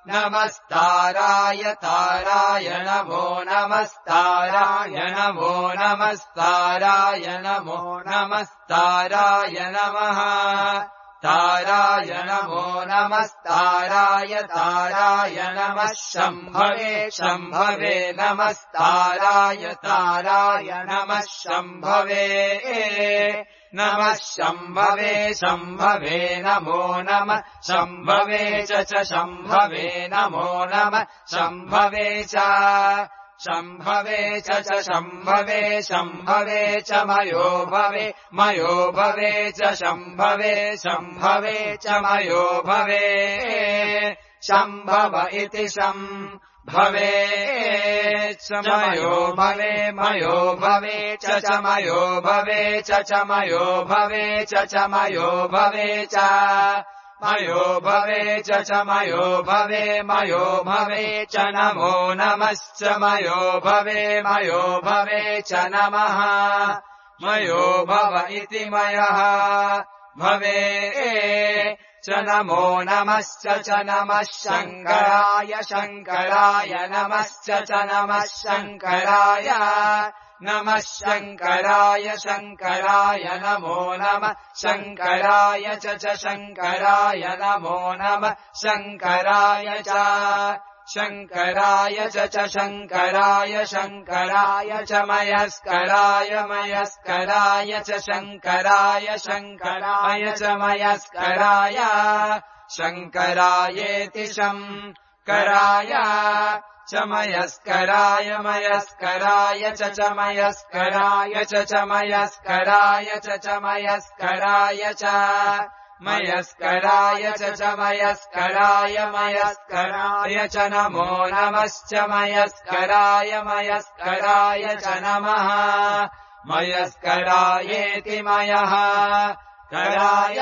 [SPEAKER 1] नमस्ताराय ताराय नमो नमस्ताराय नमो नमस्ताराय नमो नमस्ताराय नमः ताराय नमो नमस्ताराय ताराय नमः शम्भवे शम्भवे नमस्ताराय ताराय नमः शम्भवे नमः शम्भवे शम्भवे नमो नमः शम्भवे च शम्भवे नमो नमः शम्भवे च शम्भवे च शम्भवे शम्भवे च मयो भवे च शम्भवे शम्भवे च मयो भवे शम्भव इति शम्भवे मयो भवे च मयो भवे च मयो भवे च मयो भवे च मयो भवे च मयो भवे च नमो नमश्च मयो भवे च नमः मयो भव इति मयः भवे च नमो नमश्च च नमः शङ्कराय शङ्कराय नमश्च च नमः शङ्कराय नमः शङ्कराय शङ्कराय नमो नमः शङ्कराय च शङ्कराय नमो नमः शङ्कराय च शङ्कराय च शङ्कराय शङ्कराय च मयस्कराय च शङ्कराय शङ्कराय च मयस्कराय शङ्करायेति शङ्कराय च मयस्कराय च मयस्कराय च मयस्कराय च मयस्कराय च मयस्कराय च मयस्कराय च नमो नमश्च मयस्कराय च नमः मयस्करायेति मयः कराय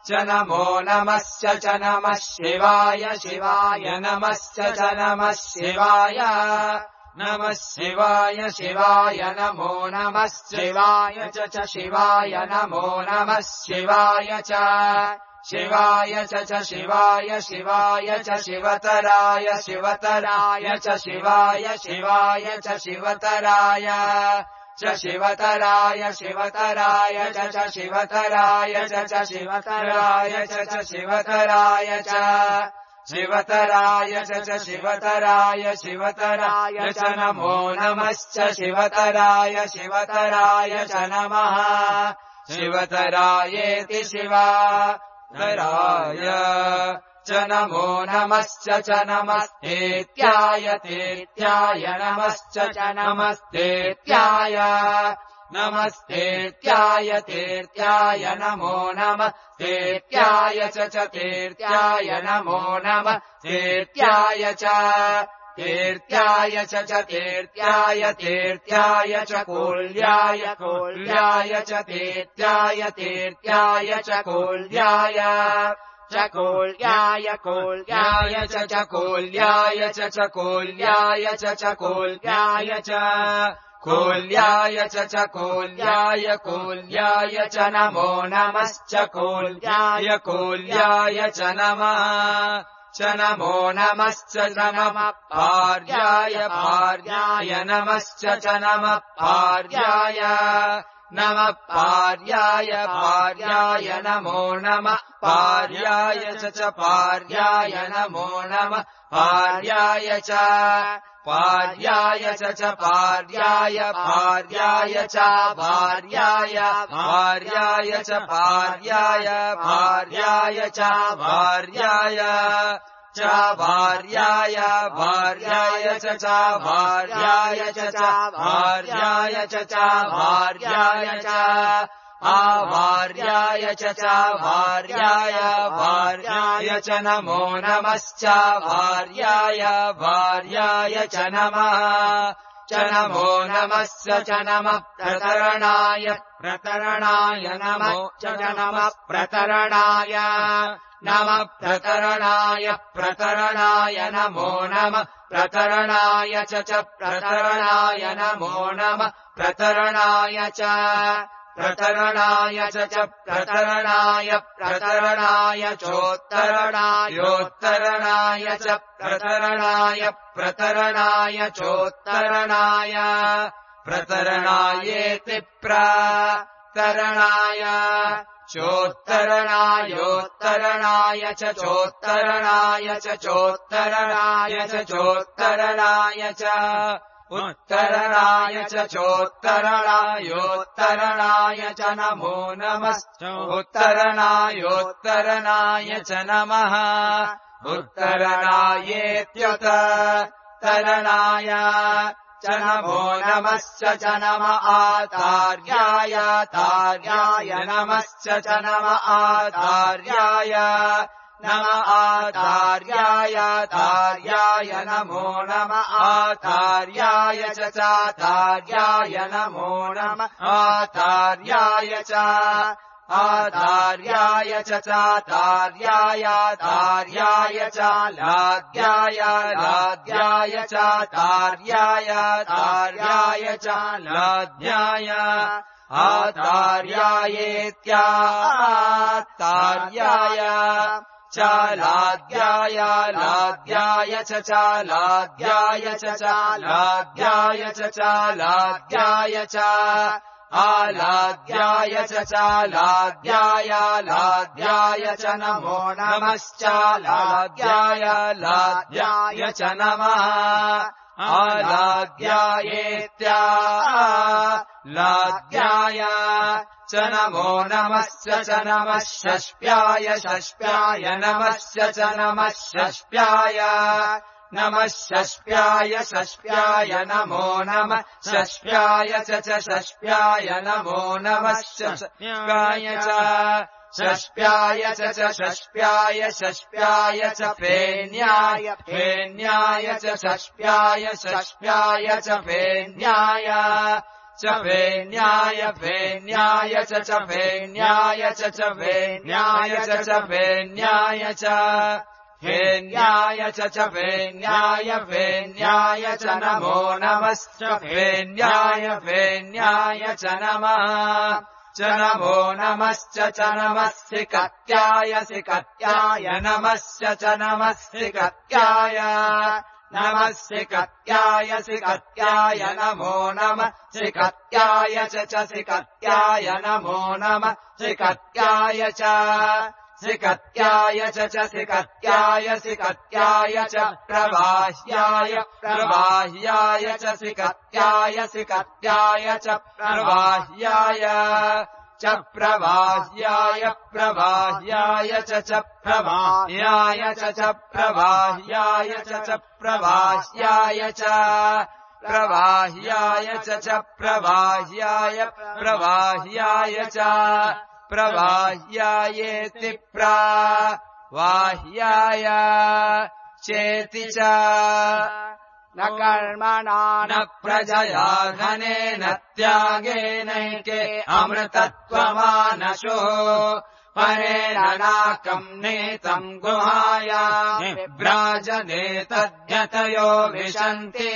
[SPEAKER 1] च नमो नमश्च च नमः शिवाय शिवाय नमश्च च नमः शिवाय शिवाय नमो नमः शिवाय च शिवाय नमो नमः शिवाय च शिवाय च शिवाय च शिवतराय च शिवाय च शिवतराय च शिवतराय च शिवतराय च शिवतराय च शिवतराय च शिवतराय च शिवतराय च च नमो नमश्च शिवतराय च नमः शिवतरायेति शिवतराय च नमो नमश्च च नमस्तेत्याय तेत्याय नमश्च च नमस्तेत्याय नमस्तेत्याय तेत्याय नमो नमः तेत्याय च तेत्याय नमो नमः तेत्याय च तेत्याय च तेत्याय च कोल्याय च तेत्याय च कोल्याय च कोल्याय च कोल्याय च कोल्याय च कोल्याय च कोल्याय च कोल्याय च नमो नमश्च कोल्याय च नमः च नमो नमश्च नमः भार्याय नमश्च च नमः भार्याय नमो नमः भार्याय च भार्याय नमो नमः भार्याय च भार्याय च भार्याय च भार्याय च भार्याय च भार्याय च भार्याय च भार्याय च भार्याय च भार्याय च आभार्याय च भार्याय च नमो नमश्च भार्याय च नमः च नमो नमस्य च नमः प्रतरणाय नमो च नमः प्रतरणाय नमः प्रतरणाय नमो नमः प्रतरणाय च प्रतरणाय नमो नमः प्रतरणाय च प्रतरणाय च प्रतरणाय चोत्तरणायोत्तरणाय च प्रतरणाय चोत्तरणाय प्रतरणायेति प्रतरणाय चोत्तरणायोत्तरणाय च चोत्तरणाय च चोत्तरणाय च चोत्तरणाय च उत्तरणाय च चोत्तरणायोत्तरणाय च नमो नमश्चोत्तरणायोत्तरणाय च नमः उत्तरणायेत्युत्तरणाय च नमो नमश्च च नम आचार्याय नमश्च च नम आचार्याय नम आचार्याय नमो नम आचार्याय च चाचार्याय नमो नम आचार्याय च आचार्याय च चाचार्याय च लाद्याय चाचार्याय च लाद्याय आचार्यायेत्याचार्याय लाद्याय च चालाद्याय च चालाद्याय च आलाद्याय च चालाद्याय च नमो नमश्चालाद्याय च नमः आलाद्यायेत्यालाद्याय च नमो नमश्च च नमः षष्प्याय नमश्च च नमः षष्प्याय नमो नमः षष्प्याय च षष्प्याय नमो नमः षष्प्याय च षष्प्याय च षष्प्याय च फेन्याय च षष्प्याय च फेन्याय च फेन्याय च फेन्याय च फेन्याय च फेन्याय च फेन्याय च फेन्याय च नमो नमश्च फेन्याय च नमः च नमो नमश्च च नमः सिकत्याय नमश्च च नमः सिकत्याय नमो नमः सिकत्याय च सिकत्याय नमो नमः सिकत्याय च सिकत्याय च सिकत्याय च प्रवाह्याय च सिकत्याय च प्रवाह्याय च प्रवाह्याय च प्रवाह्याय च प्रवाह्याय च प्रवाह्याय च प्रवाह्याय च प्रवाह्याय च प्रवाह्यायेति प्रवाह्याय चेति च न कर्मणा न प्रजया धनेन त्यागेनैके अमृतत्वमानशो परेण नाकम् नेतम् गुहायाम् विभ्राजने तद्यतयो विशन्ति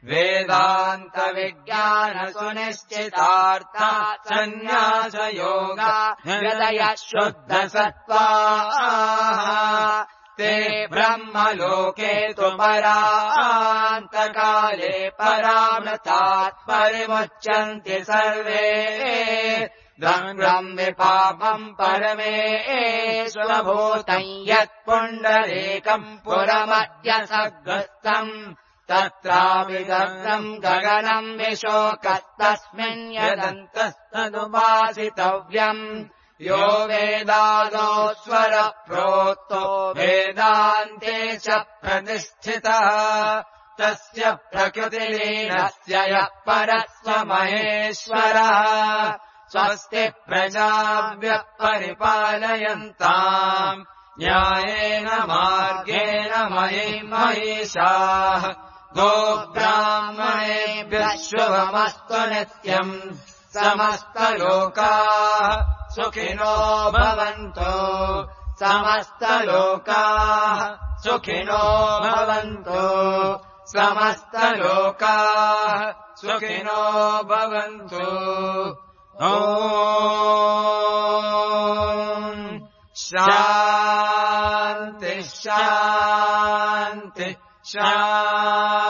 [SPEAKER 1] वेदान्तविज्ञानसुनिश्चितार्था सन्न्यासयोगा हृदय शुद्धसत्त्वाः ते ब्रह्मलोके तु परान्तकाले परामृतात् परिमुच्यन्ति सर्वे द्वन्द्वम् विपापम् परमेश्वरभूतम् यत्पुण्डरीकम् पुरमद्य सग्रस्तम् तत्राविदग्धम् गगनम् विशोकस्तस्मिन् यदन्तस्तदुपासितव्यम् यो वेदादो स्वर प्रोक्तो वेदान्ते च प्रतिष्ठितः तस्य प्रकृतिलीनस्य यः परस्वमहेश्वरः स्वस्ति प्रजाभ्यः परिपालयन्ताम् न्यायेन मार्गेण महिषाः गोब्राह्मणेभ्यः शुभमस्तु नित्यम् समस्तलोकाः सुखिनो भवन्तु समस्तलोकाः सुखिनो भवन्तु समस्तलोकाः सुखिनो भवन्तु ॐ शान्ति शान्ति शान्ति